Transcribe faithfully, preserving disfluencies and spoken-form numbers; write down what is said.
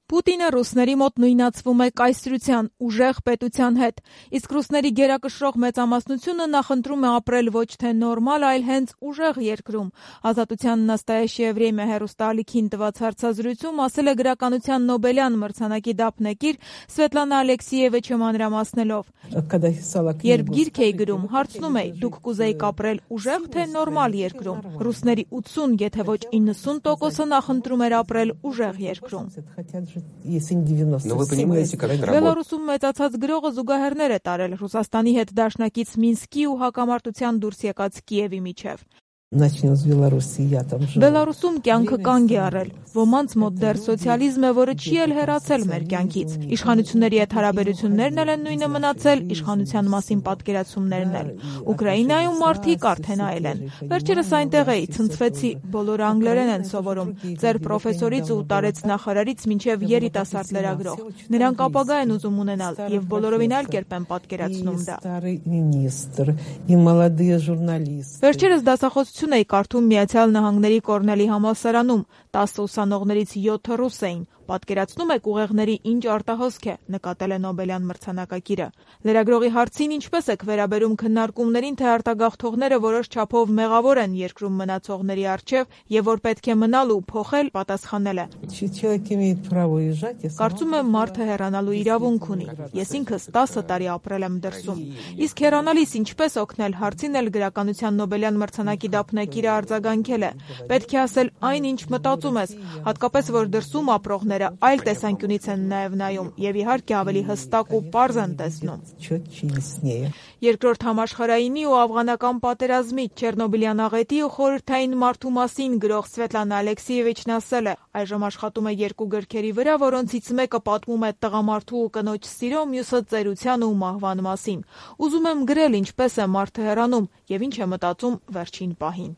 Պուտինը ռուսների մոտ նույնացվում է կայսրության, ուժեղ պետության հետ, իսկ ռուսների գերակշռող մեծամասնությունը նախընտրում է ապրել ոչ թե նորմալ, այլ հենց ուժեղ երկրում։ Ազատության նաստայեշե время հեռուստաալիքին տված հարցազրույցում ասել է գրականության Նոբելյան մրցանակի դափնեկիր Սվետլանա Ալեքսիևիչը մանրամասնելով. «Երբ գիրք էի գրում, հարցնում էի, դուք կուզեիք ապրել ուժեղ թե նորմալ երկրում։ Ռուսների ութսուն, եթե ոչ իննսուն տոկոսը նախընտրում էր ապրել ուժեղ երկրում»։ Բելարուսում մեծացած գրողը զուգահեռներ է տարել Ռուսաստանի հետ դաշնակից Մինսկի ու հակամարտության դուրս եկած Կիևի միջև։ Բելարուսում կյանքը կանգ է առել, ոմանց մոտ դեռ սոցիալիզմ է, որը չի էլ հեռացել մեր կյանքից։ Իշխանությունների հետ հարաբերություններն էլ են նույնը մնացել, իշխանության մասին պատկերացումներն էլ։ Ուկրաինայում մարդիկ արդեն այլ են։ Վերջերս այնտեղ էի, ցնցվեցի, բոլորը անգլերեն են սովորում, ձեր պրոֆեսորից ու տարեց նախարարից մինչև երիտասարդ լրագրող։ Նրանք ապագա են ուզում ունենալ եւ բոլորովին այլ կերպ են պատկերացնում դա։ Վերջերս դասախոսություն էի կարդում Միացյալ Նահանգների Կորնելի համալսարանում, տասը ուսանողներից յոթը ռուս էին։ Պատկերացնում եք ուղեղների ինչ արտահոսք է, նկատել է Նոբելյան մրցանակակիրը։ Լրագրողի հարցին ինչպես եք վերաբերում քննարկումներին, թե արտագաղթողները որոշ չափով մեղավոր են երկրում մնացողների առջև եւ որ պետք է մնալ ու փոխել, պատասխանել է. «Կարծում եմ մարդը հեռանալու իրավունք ունի։ Ես ինքս տասը տարի ապրել եմ դրսում։ Իսկ հեռանալիս ինչպես օգնել» հարցին էլ գրականության Նոբելյան մրցանակի դափնեկիրը արձագանքել է. «Պետք է ասել այն, ինչ մտածում ես, հատկապես որ դրսում ապրողները այլ տեսանկյունից են նաև նայում եւ իհարկե ավելի հստակ ու պարզ են տեսնում»։ Երկրորդ համաշխարհայինի ու աֆղանական պատերազմի, Չեռնոբիլյան աղետի ու խորհրդային մարդու մասին գրող Սվետլանա Ալեքսիևիչն ասել է. «Այժմ աշխատում է երկու գրքերի վրա, որոնցից մեկը պատմում է տղամարդու ու կնոջ սիրո, մյուսը ծերության ու մահվան մասին։ Ուզում եմ գրել, ինչպես է մարդը հեռանում եւ ինչ է մտածում վերջին պահին»։